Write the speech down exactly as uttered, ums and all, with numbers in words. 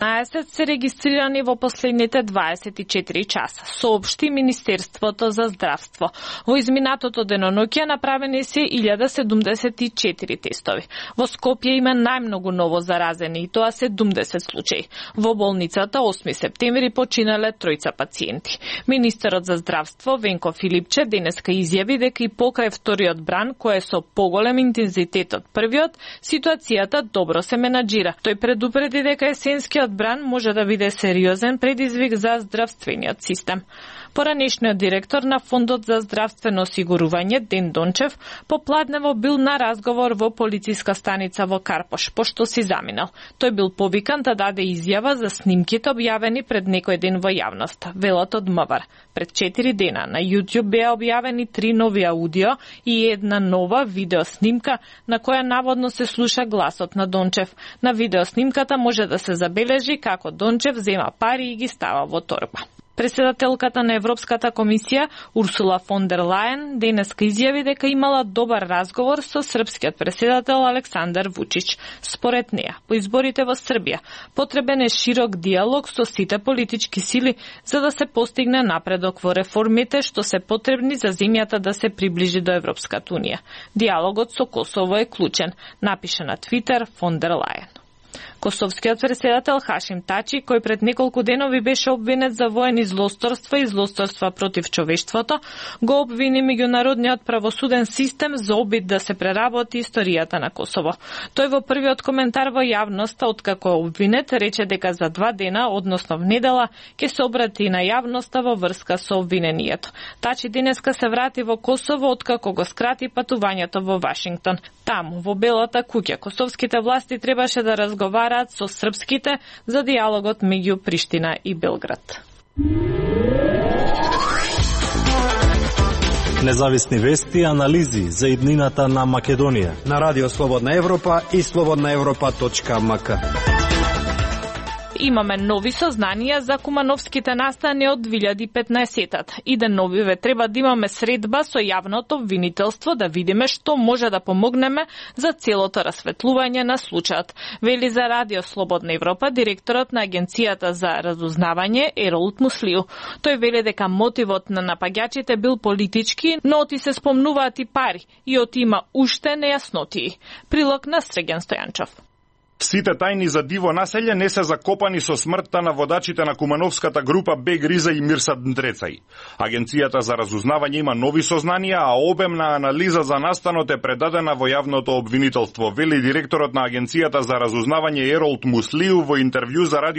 еднаесет се регистрирани во последните дваесет и четири часа, соопшти Министерството за здравство. Во изминатото деноноќе направени се илјада седумдесет и четири тестови. Во Скопје има најмногу ново заразени, и тоа седумдесет случаи. Во болницата осми септември починале тројца пациенти. Министерот за здравство Венко Филипче денеска изјави дека и покрај вториот бран, кој е со поголем интензитет од првиот, ситуацијата добро се менаџира. Тој предупреди дека есенскиот бран може да биде сериозен предизвик за здравствениот систем. Поранешниот директор на Фондот за здравствено осигурување Ден Дончев попладнево бил на разговор во полициска станица во Карпош, пошто си заминал. Тој бил повикан да даде изјава за снимките објавени пред некој ден во јавноста, велат од МВР. Пред четири дена на YouTube беа објавени три нови аудио и една нова видеоснимка на која наводно се слуша гласот на Дончев. На видеоснимката може да се забележи како Дончев зема пари и ги става во торба. Председателката на Европската комисија Урсула фон дер Лајен денеска изјави дека имала добар разговор со српскиот председател Александар Вучич. Според неа, по изборите во Србија потребен е широк диалог со сите политички сили за да се постигне напредок во реформите што се потребни за земјата да се приближи до Европската унија. Диалогот со Косово е клучен, напише на Твитер фон дер Лајен. Косовскиот председател Хашим Тачи, кој пред неколку денови беше обвинет за воени злосторства и злосторства против човештвото, го обвини меѓународниот правосуден систем за обид да се преработи историјата на Косово. Тој во првиот коментар во јавноста, откако е обвинет, рече дека за два дена, односно в недела, ќе се обрати на јавноста во врска со обвиненијето. Тачи денеска се врати во Косово, откако го скрати патувањето во Вашингтон. Таму, во Белата куќа, косовските власти требаше да разговараат со српските за диалогот меѓу Приштина и Белград. Независни вести и анализи за иднината на Македонија на Радио Слободна Европа и слободна европа точка ем ка. Имаме нови сознанија за кумановските настани од две илјади и петнаесета. И да новиве треба да имаме средба со јавното обвинителство да видиме што може да помогнеме за целото расветлување на случајот. Вели за Радио Слободна Европа директорот на Агенцијата за разузнавање Еролд Муслиу. Тој вели дека мотивот на напаѓачите бил политички, но оти се спомнуваат и пари и оти има уште нејаснотии. Прилог на Среген Стојанчов. Сите тајни за диво населје не се закопани со смртта на водачите на кумановската група Бег Риза и Мирсад Ндрецај. Агенцијата за разузнавање има нови сознанија, а обемна анализа за настанот е предадена во јавното обвинителство, вели директорот на Агенцијата за разузнавање Еролд Муслиу во интервју за Радио